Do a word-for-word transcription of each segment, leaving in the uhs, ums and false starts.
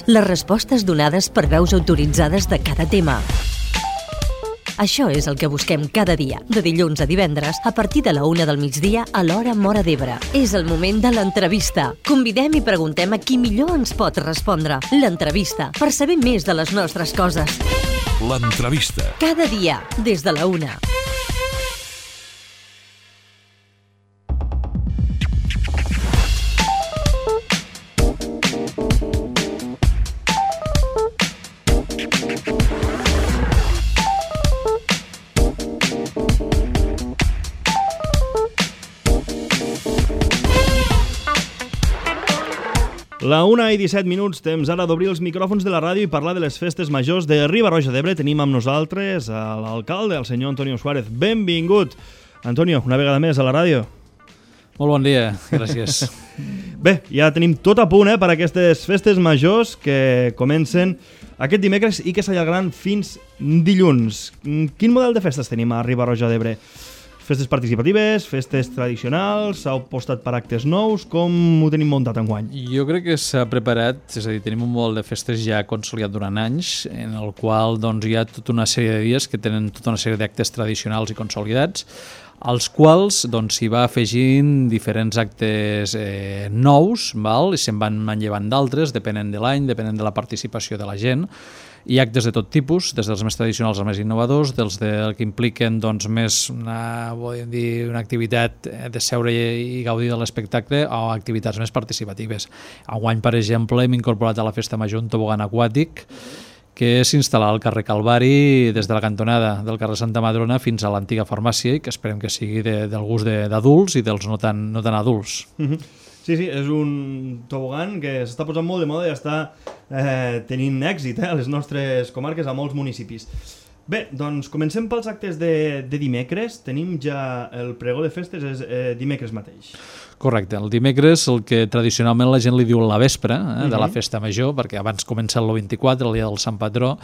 les respostes donades per veus autoritzades de cada tema. Això és el que busquem cada dia, de dilluns a divendres, a partir de la una del migdia a l'hora Móra d'Ebre. És el moment de l'entrevista. Convidem i preguntem a qui millor ens pot respondre. L'entrevista, per saber més de les nostres coses. L'entrevista. Cada dia, des de la una. La una i disset minuts, temps ara d'obrir els micròfons de la ràdio i parlar de les festes majors de Riba-roja d'Ebre. Tenim amb nosaltres l'alcalde, el senyor Antonio Suárez. Benvingut, Antonio, una vegada més a la ràdio. Molt bon dia, gràcies. Bé, ja tenim tot a punt eh, per a aquestes festes majors que comencen aquest dimecres i que s'allargaran fins dilluns. Quin model de festes tenim a Riba-roja d'Ebre? Festes participatives, festes tradicionals, s'ha apostat per actes nous, com ho tenim muntat enguany? Jo crec que s'ha preparat, és a dir, tenim un model de festes ja consolidat durant anys, en el qual doncs, hi ha tota una sèrie de dies que tenen tota una sèrie d'actes tradicionals i consolidats, als quals doncs, s'hi va afegint diferents actes eh, nous, val? I se'n van manllevant d'altres, depenent de l'any, depenent de la participació de la gent. Hi ha actes de tot tipus, des dels més tradicionals als més innovadors, dels de, que impliquen doncs, més una, dir, una activitat de seure i gaudir de l'espectacle o activitats més participatives. Enguany, per exemple, hem incorporat a la festa major un tobogan aquàtic que s'instal·larà al carrer Calvari des de la cantonada del carrer Santa Madrona fins a l'antiga farmàcia i que esperem que sigui de, del gust d'adults i dels no tan, no tan adults. Mm-hmm. Sí, sí, és un tobogan que s'està posant molt de moda i està eh, tenint èxit eh, a les nostres comarques, a molts municipis. Bé, doncs comencem pels actes de, de dimecres. Tenim ja el pregó de festes, és eh, dimecres mateix. Correcte, el dimecres, el que tradicionalment la gent li diu la vespre eh, uh-huh. de la festa major, perquè abans comença el vint-i-quatre, el dia del Sant Patró,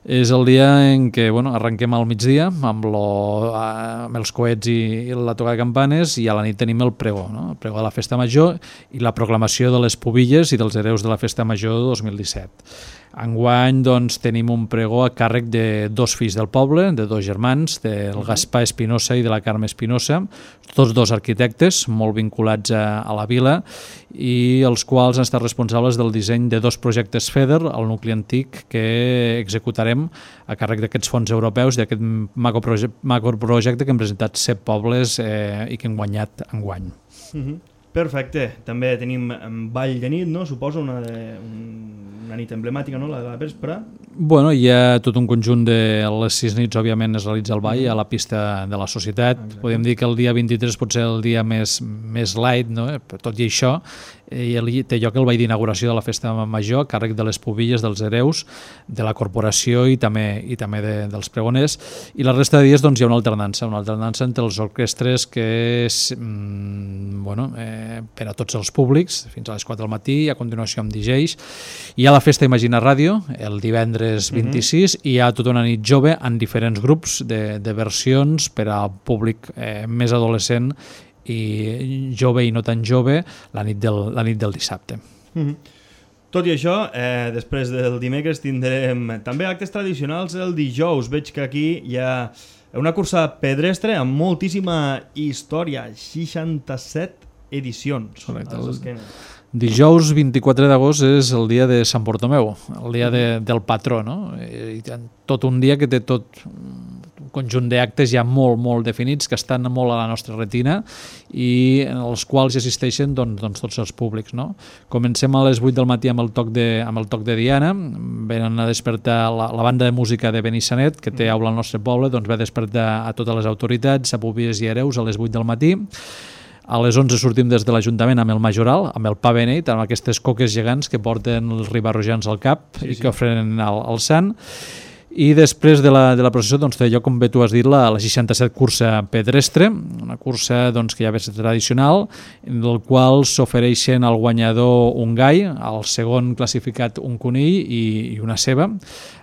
és el dia en què bueno, arrenquem al migdia amb, lo, amb els coets i, i la toca de campanes i a la nit tenim el pregó, no? El pregó de la festa major i la proclamació de les pubilles i dels hereus de la festa major dos mil disset. Enguany doncs, tenim un pregó a càrrec de dos fills del poble, de dos germans, del Gaspar Espinosa i de la Carme Espinosa, tots dos arquitectes molt vinculats a, a la vila i els quals han estat responsables del disseny de dos projectes FEDER al nucli antic que executarem a càrrec d'aquests fons europeus d'aquest macroprojecte que hem presentat set pobles eh, i que hem guanyat enguany. Uh-huh. Perfecte. També tenim ball de nit, no? Suposo una, de, una nit emblemàtica, no? La de la vespre. Bueno, hi ha tot un conjunt de les sis nits, òbviament, es realitza el ball a la pista de la societat. Exacte. Podem dir que el dia vint-i-tres pot ser el dia més, més light, no? Tot i això, eh, té lloc el ball d'inauguració de la festa major a càrrec de les pubilles dels hereus, de la corporació i també, i també de, dels pregoners. I la resta de dies doncs, hi ha una alternança, una alternança entre els orquestres que és mm, bueno, eh, per a tots els públics, fins a les quatre del matí, i a continuació amb D Js. Hi ha la festa Imagina Ràdio, el divendres vint-i-sis, uh-huh. i hi ha tota una nit jove en diferents grups de, de versions per al públic eh, més adolescent i jove i no tan jove la nit del, la nit del dissabte. Uh-huh. Tot i això, eh, després del dimecres tindrem també actes tradicionals el dijous. Veig que aquí hi ha una cursa pedestre amb moltíssima història, seixanta-set edicions. Correcte. Dijous vint-i-quatre d'agost és el dia de Sant Bartomeu, el dia de, del patró, no? I tot un dia que té tot un conjunt d'actes ja molt, molt definits, que estan molt a la nostra retina i en els quals hi assisteixen doncs, doncs, tots els públics, no? Comencem a les vuit del matí amb el toc de, amb el toc de Diana, venen a despertar la, la banda de música de Benissanet, que té aula al nostre poble, doncs va despertar a totes les autoritats, a pubilles i hereus, a les vuit del matí. A les onze sortim des de l'Ajuntament amb el Majoral, amb el pa beneit, amb aquestes coques gegants que porten els ribarrojans al cap sí, i que sí. ofrenen al, al sant. I després de la, de la processó doncs, té lloc, com bé tu has dit, la, la seixanta-set cursa pedestre, una cursa doncs, que ja ve ser tradicional, en el qual s'ofereixen al guanyador un gai, al segon classificat un conill i, i una ceba,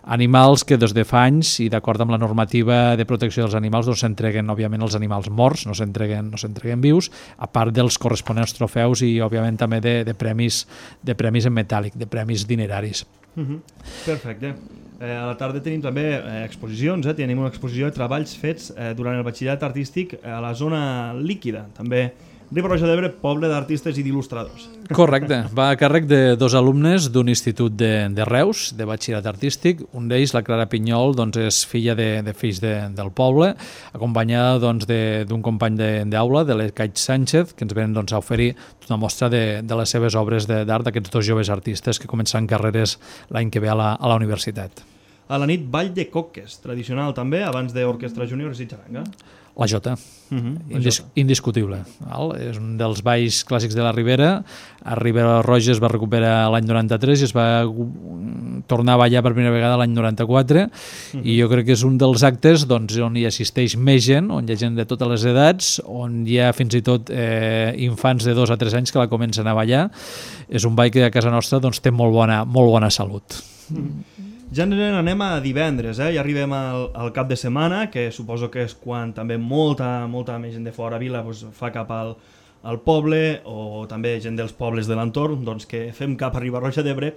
animals que des de fa anys i d'acord amb la normativa de protecció dels animals doncs s'entreguen, òbviament, els animals morts, no s'entreguen no s'entreguen vius, a part dels corresponents trofeus i, òbviament, també de, de, premis, de premis en metàl·lic, de premis dineraris. Uh-huh. Perfecte. Eh, a la tarda tenim també eh, exposicions, eh? Tenim una exposició de treballs fets eh, durant el batxillerat artístic a la zona líquida, també Riba-roja d'Ebre, poble d'artistes i d'il·lustradors. Correcte, va a càrrec de dos alumnes d'un institut de, de Reus, de batxillerat artístic. Un d'ells, la Clara Pinyol, doncs, és filla de, de fills de, del poble, acompanyada doncs, d'un company d'aula, de, de l'Ecaig Sánchez, que ens venen doncs, a oferir una mostra de, de les seves obres d'art d'aquests dos joves artistes que començaran carreres l'any que ve a la, a la universitat. A la nit, ball de coques, tradicional també, abans d'orquestra júnior i xaranga. La jota, uh -huh, la Indis jota. indiscutible. Val? És un dels balls clàssics de la Ribera. A Ribera Roja es va recuperar l'any noranta-tres i es va tornar a ballar per primera vegada l'any noranta-quatre, uh -huh. i jo crec que és un dels actes doncs, on hi assisteix més gent, on hi ha gent de totes les edats, on hi ha fins i tot eh, infants de dos a tres anys que la comencen a ballar. És un ball que a casa nostra doncs, té molt bona, molt bona salut. Uh -huh. Ja anem a divendres, eh? Ja arribem al, al cap de setmana, que suposo que és quan també molta, molta més gent de fora vila pues, fa cap al, al poble, o també gent dels pobles de l'entorn, doncs que fem cap a Riba-roja d'Ebre.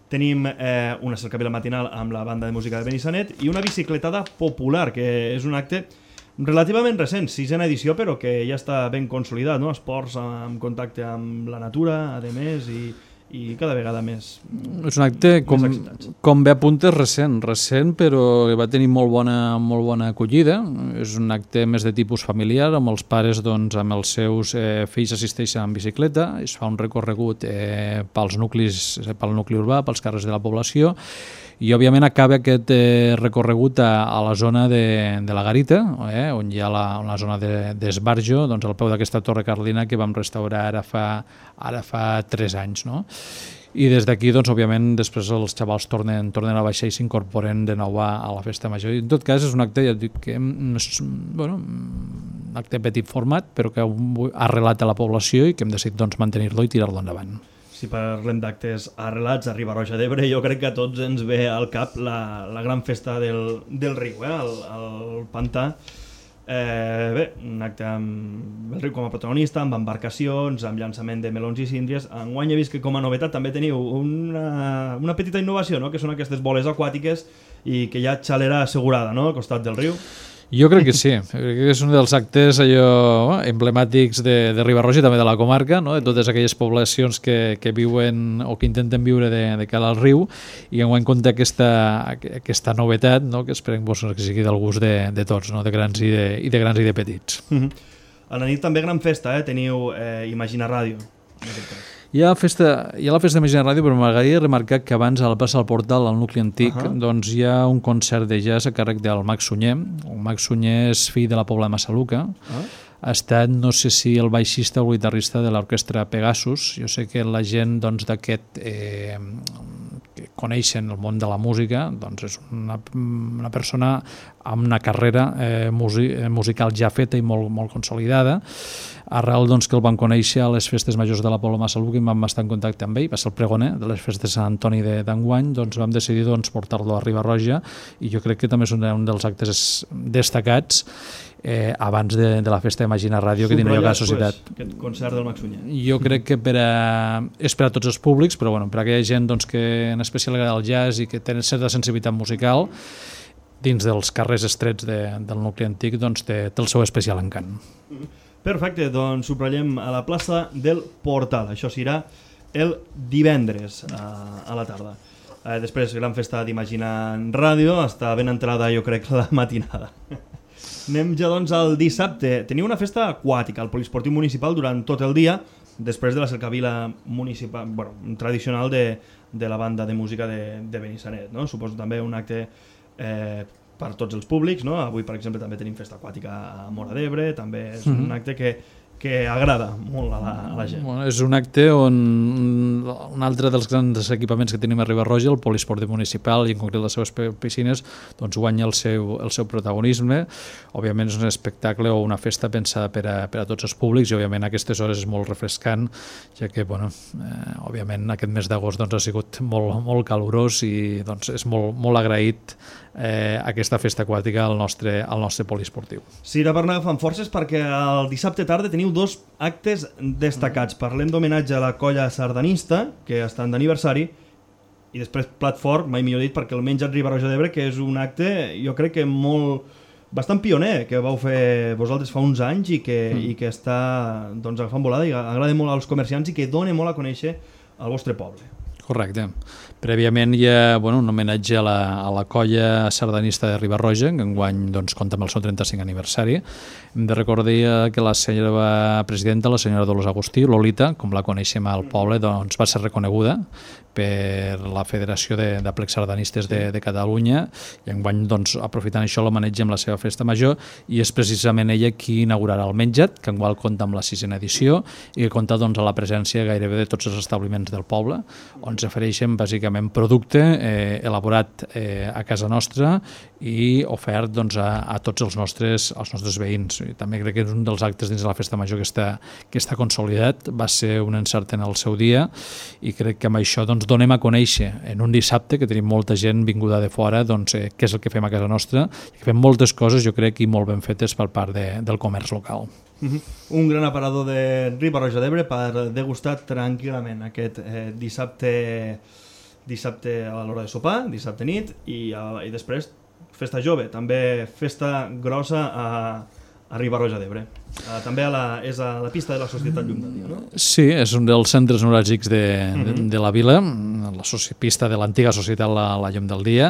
Tenim eh, una cercavila matinal amb la banda de música de Benissanet i una bicicletada popular, que és un acte relativament recent, sisena edició, però que ja està ben consolidat, no? Esports en contacte amb la natura, a més, i... i cada vegada més És un acte, com, com bé apuntes, recent, recent, però que va tenir molt bona, molt bona acollida. És un acte més de tipus familiar, amb els pares, doncs, amb els seus eh, fills assisteixen en bicicleta, es fa un recorregut eh, pels nuclis, pel nucli urbà, pels carrers de la població, i òbviament acaba aquest eh, recorregut a, a la zona de, de la Garita, eh, on hi ha la, la zona d'Esbarjo, de, doncs al peu d'aquesta torre carlina que vam restaurar ara fa, ara fa tres anys, no? I des d'aquí, doncs, òbviament, després els xavals tornen, tornen a baixar i s'incorporen de nou a, a la festa major. I en tot cas, és un acte, ja dic, que és, bueno, un acte petit format, però que ha arrelat a la població i que hem decidit doncs, mantenir-lo i tirar-lo endavant. Si parlem d'actes arrelats a Riba-roja d'Ebre, jo crec que a tots ens ve al cap la, la gran festa del, del riu, eh? el, el pantà. Eh, bé, un acte amb el riu com a protagonista, amb embarcacions, amb llançament de melons i síndries. Enguany he vist que com a novetat també teniu una, una petita innovació, no? Que són aquestes boles aquàtiques i que hi ha xalera assegurada, no? Al costat del riu. Jo crec que sí, crec que és un dels actes allò emblemàtics de, de Riba-roja i també de la comarca, no? De totes aquelles poblacions que, que viuen o que intenten viure de, de cara al riu, i enguany compta aquesta, aquesta novetat, no? Que esperem doncs, que sigui del gust de, de tots, no? De grans i de, i de grans i de petits. Uh-huh. A la nit també gran festa, eh? Teniu eh, Imagina Ràdio, en aquest cas. Hi ha, festa, hi ha la festa de Imagina Ràdio, però m'agradaria remarcar que abans a la plaça del Portal, al nucli antic, uh -huh. doncs hi ha un concert de jazz a càrrec del Max Sunyer. El Max Sunyer és fill de la Pobla de Massaluca. Uh -huh. Ha estat, no sé si el baixista o el guitarrista de l'orquestra Pegasus. Jo sé que la gent doncs, d'aquest... Eh, que coneixen el món de la música, doncs és una, una persona amb una carrera eh, musical ja feta i molt, molt consolidada. Arrel doncs, que el van conèixer a les festes majors de la Pobla de Massaluca i vam estar en contacte amb ell, va ser el pregoner de les festes de Sant Antoni d'enguany, doncs vam decidir doncs, portar-lo a Riba-roja, i jo crec que també és un, un dels actes destacats eh, abans de, de la festa d'Imagina Ràdio que tindria la societat. Pues, aquest concert del Max Sunyer. Jo crec que per a, és per a tots els públics, però bueno, per a aquella gent doncs, que en especial agrada el jazz i que tenen certa sensibilitat musical, dins dels carrers estrets de, del nucli antic, doncs té, té el seu especial encant. Perfecte, doncs subratllem a la plaça del Portal. Això serà el divendres a, a la tarda. Eh, després, gran festa d'Imagina Ràdio, està ben entrada, jo crec, la matinada. Anem ja doncs al dissabte. Teniu una festa aquàtica al Poliesportiu Municipal durant tot el dia, després de la cercavila municipal, bueno, tradicional de, de la banda de música de, de Benissanet, no? Suposo també un acte eh, per tots els públics, no? Avui, per exemple, també tenim festa aquàtica a Móra d'Ebre, també és un acte que, que agrada molt a la, a la gent. Bueno, és un acte on un altre dels grans equipaments que tenim a Riba-roja, el poliesportiu municipal i en concret les seves piscines, doncs guanya el seu, el seu protagonisme. Òbviament és un espectacle o una festa pensada per a, per a tots els públics i òbviament a aquestes hores és molt refrescant, ja que bueno, eh, òbviament aquest mes d'agost doncs, ha sigut molt, molt calorós i doncs, és molt, molt agraït eh, aquesta festa aquàtica al nostre, al nostre poliesportiu. Sí, ara per anar agafant forces perquè el dissabte tarda teniu dos actes destacats. Parlem d'homenatge a la colla sardanista, que estan d'aniversari, i després plat fort, mai millor dit, perquè el menjat Riba-roja d'Ebre, que és un acte, jo crec que molt, bastant pioner, que vau fer vosaltres fa uns anys i que, mm. i que està doncs, agafant volada i agrada molt als comerciants i que dona molt a conèixer al vostre poble. Correcte. Prèviament hi ha bueno, un homenatge a la, a la colla sardanista de Riba-roja, que enguany doncs, compta amb el seu trenta-cinquè aniversari. Hem de recordar que la senyora presidenta, la senyora Dolors Agustí, Lolita, com la coneixem al poble, doncs, va ser reconeguda per la Federació de, de Plecs Sardanistes de, de Catalunya i enguany, doncs, aprofitant això, l'homenatge amb la seva festa major i és precisament ella qui inaugurarà el menjat, que enguany compta amb la sisena edició i que compta doncs, a la presència gairebé de tots els establiments del poble, on s'ofereixen bàsicament producte eh, elaborat eh, a casa nostra i ofert doncs, a, a tots els nostres, els nostres veïns. I també crec que és un dels actes dins de la festa major que està, que està consolidat, va ser un encert en el seu dia i crec que amb això doncs, donem a conèixer en un dissabte que tenim molta gent vinguda de fora doncs, eh, què és el que fem a casa nostra i que fem moltes coses, jo crec, i molt ben fetes per part de, del comerç local. Uh-huh. Un gran aparador de Riba-roja d'Ebre per degustar tranquil·lament aquest eh, dissabte dissabte a l'hora de sopar, dissabte nit i, a, i després festa jove, també festa grossa a, a Riba-roja d'Ebre. Uh, també a la, és a la pista de la Societat Llum del Dia, no? Sí, és un dels centres neuràlgics de, uh-huh. de, de la vila, la pista de l'antiga Societat la, la Llum del Dia,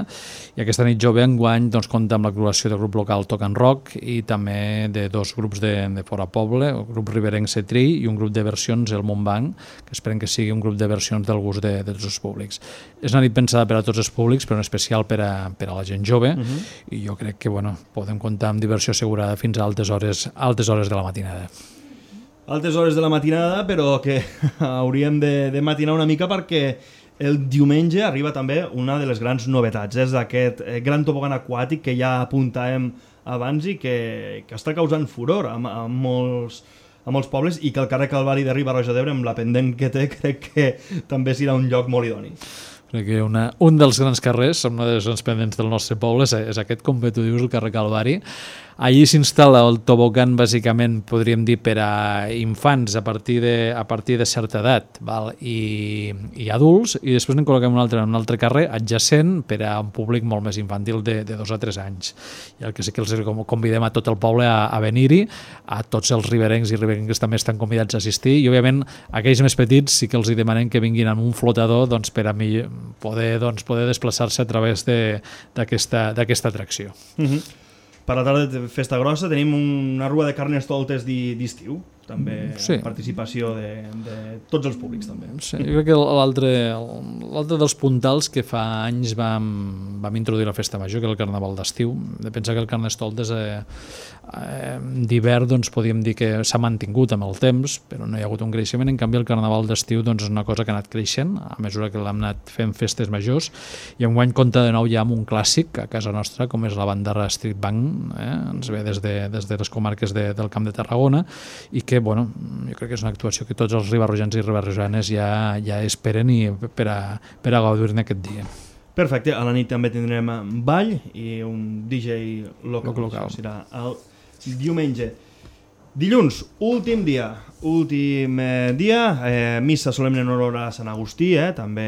i aquesta nit jove enguany doncs, compta amb l'actuació del grup local Toc and Rock i també de dos grups de, de fora poble, el grup riberenc Cetri i un grup de versions, el Montbanc, que esperem que sigui un grup de versions del gust de, de tots els públics. És una nit pensada per a tots els públics, però en especial per a, per a la gent jove, uh-huh. i jo crec que bueno, podem comptar amb diversió assegurada fins a altes hores, altes hores de la matinada. Altes hores de la matinada, però que hauríem de, de matinar una mica perquè el diumenge arriba també una de les grans novetats, és aquest gran tobogan aquàtic que ja apuntàvem abans i que, que està causant furor a, a, molts, a molts pobles i que el carrer Calvari de Riba-roja d'Ebre, amb la pendent que té, crec que també serà un lloc molt idoni. Crec que una, un dels grans carrers, una de les grans pendents del nostre poble, és, és aquest, com tu dius, el carrer Calvari. Allí s'instal·la el tobogan, bàsicament, podríem dir, per a infants a partir de, a partir de certa edat, val? I, i adults, i després en col·loquem un altre, un altre carrer adjacent per a un públic molt més infantil de, de dos a tres anys. I el que sí que els convidem a tot el poble a, a venir-hi, a tots els riberencs i riberencs també estan convidats a assistir, i òbviament aquells més petits sí que els demanem que vinguin amb un flotador doncs, per a mi poder, doncs, poder desplaçar-se a través d'aquesta atracció. Uh-huh. Per la tarda de festa grossa tenim una rua de carnestoltes d'estiu, també sí. Participació de, de tots els públics també. Sí, jo crec que l'altre l'altre dels puntals que fa anys vam, vam introduir la festa major, que és el carnaval d'estiu. De pensar que el carnestoltes eh, eh, d'hivern doncs, podíem dir que s'ha mantingut amb el temps, però no hi ha hagut un creixement. En canvi el carnaval d'estiu doncs, és una cosa que ha anat creixent a mesura que l'hem anat fent festes majors i enguany compta de nou ja amb un clàssic a casa nostra com és la Bandarra Street Band, eh? Ens ve des de, des de les comarques de, del Camp de Tarragona i que bueno, jo crec que és una actuació que tots els ribarrojans i ribarrojanes ja, ja esperen i per a, per a gaudir-ne aquest dia. Perfecte, a la nit també tindrem ball i un D J local, local. Serà el diumenge. Dilluns, últim dia, últim eh, dia, eh, missa solemne en honor a Sant Agustí, eh, també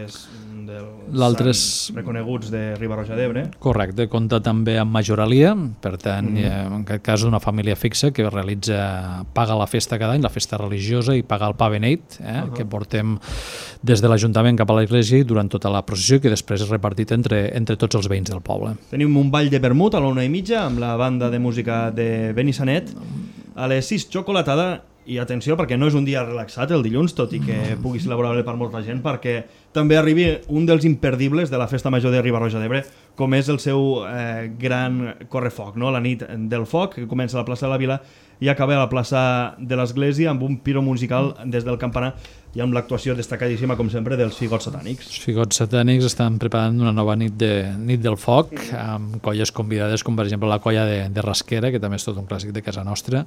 és un dels és... reconeguts de Riba-roja d'Ebre. Correcte, compta també amb majoralia, per tant, mm. eh, en aquest cas una família fixa que realitza, paga la festa cada any, la festa religiosa i paga el pa beneit, eh, uh -huh. que portem des de l'Ajuntament cap a l'església i durant tota la processió que després és repartit entre, entre tots els veïns del poble. Tenim un ball de vermut a la una i mitja amb la banda de música de Benissanet. A les sis, xocolatada, i atenció perquè no és un dia relaxat el dilluns, tot i que pugui ser laborable per molta gent, perquè també arribi un dels imperdibles de la Festa Major de Riba-roja d'Ebre, com és el seu eh, gran correfoc, no? La nit del foc, que comença a la plaça de la Vila i acaba a la plaça de l'Església amb un piro musical des del campanar i amb l'actuació destacadíssima, com sempre, dels Figots Satànics. Els Figots Satànics estan preparant una nova nit, de, nit del foc, amb colles convidades, com per exemple la colla de, de Rasquera, que també és tot un clàssic de casa nostra.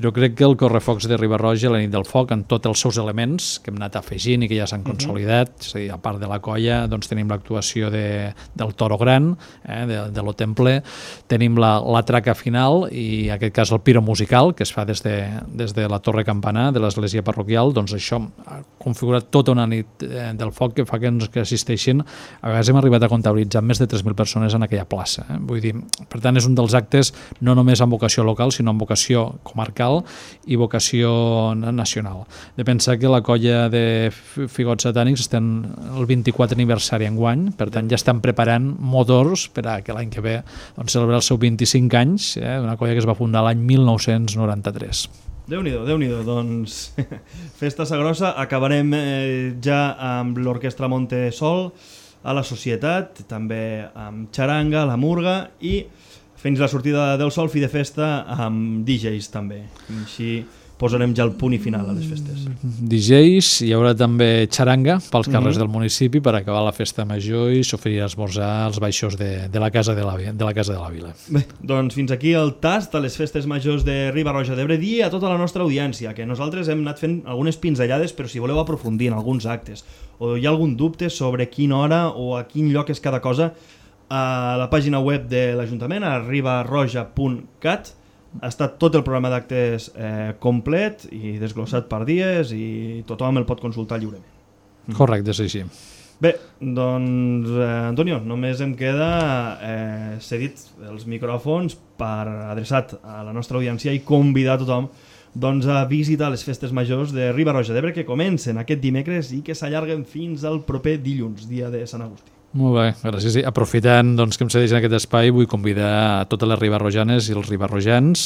Jo crec que el correfocs de Riba-roja, la nit del foc, en tots els seus elements que hem anat afegint i que ja s'han consolidat, uh -huh. és a dir, a part de la colla, doncs tenim l'actuació de, del Toro Gran, eh, de, de lo Temple, tenim la, la traca final i, en aquest cas, el piro musical, que es fa des de, des de la Torre Campanar de l'església parroquial. Doncs això ha configurat tota una nit eh, del foc que fa que ens que assisteixin. A vegades hem arribat a comptabilitzar més de tres mil persones en aquella plaça. Eh? Vull dir, per tant, és un dels actes no només amb vocació local, sinó amb vocació comarcal i vocació nacional. De pensar que la colla de Figots Satànics estan el vint-i-quatre aniversari enguany, per tant ja estan preparant motors per a que l'any que ve doncs, celebrar els seus vint-i-cinc anys, eh? Una colla que es va fundar l'any mil nou-cents noranta-tres. Déu-n'hi-do, Déu-n'hi-do. Doncs Festa Sagrossa, acabarem eh, ja amb l'Orquestra Montesol a la Societat, també amb Xaranga, la Murga i fins la sortida del sol, fi de festa amb D Js també. Així posarem ja el punt i final a les festes. D Js, hi haurà també xaranga pels carrers mm-hmm. del municipi per acabar la festa major i s'oferirà esmorzar als baixos de, de, la casa de, la, de la Casa de la Vila. Bé, doncs fins aquí el tast a les festes majors de Riba-roja d'Ebre. Dir a tota la nostra audiència que nosaltres hem anat fent algunes pinzellades, però si voleu aprofundir en alguns actes o hi ha algun dubte sobre quina hora o a quin lloc és cada cosa, a la pàgina web de l'Ajuntament, a ribarroja punt cat, està tot el programa d'actes eh, complet i desglossat per dies i tothom el pot consultar lliurement. Correcte, és així. Bé, doncs, eh, Antonio, només em queda eh, cedit els micròfons per adreçat a la nostra audiència i convidar tothom doncs, a visitar les festes majors de Riba-roja d'Ebre que comencen aquest dimecres i que s'allarguen fins al proper dilluns, dia de Sant Agustí. Molt bé, gràcies. Aprofitant doncs, que em cedeix en aquest espai, vull convidar a totes les ribarrojanes i els ribarrojans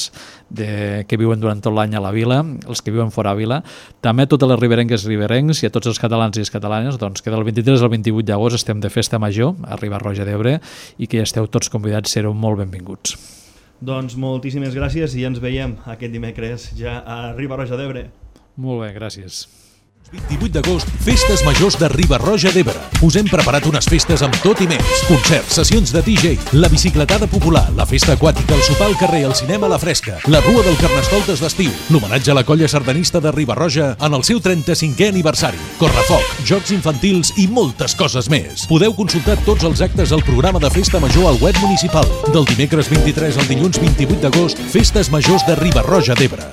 de, que viuen durant tot l'any a la vila, els que viuen fora a vila, també a totes les riberenques i riberencs i a tots els catalans i les catalanes, doncs, que del vint-i-tres al vint-i-vuit d'agost estem de festa major a Riba-roja d'Ebre i que ja esteu tots convidats, sereu molt benvinguts. Doncs moltíssimes gràcies i ens veiem aquest dimecres ja a Riba-roja d'Ebre. Molt bé, gràcies. vint-i-vuit d'agost, Festes Majors de Riba-roja d'Ebre. Us hem preparat unes festes amb tot i més. Concerts, sessions de D J, la bicicletada popular, la festa aquàtica, el sopar al carrer, el cinema a la fresca, la rua del Carnestoltes d'estiu, l'homenatge a la colla sardanista de Riba-roja en el seu trenta-cinquè aniversari, correfoc, jocs infantils i moltes coses més. Podeu consultar tots els actes al programa de Festa Major al web municipal. Del dimecres vint-i-tres al dilluns vint-i-vuit d'agost, Festes Majors de Riba-roja d'Ebre.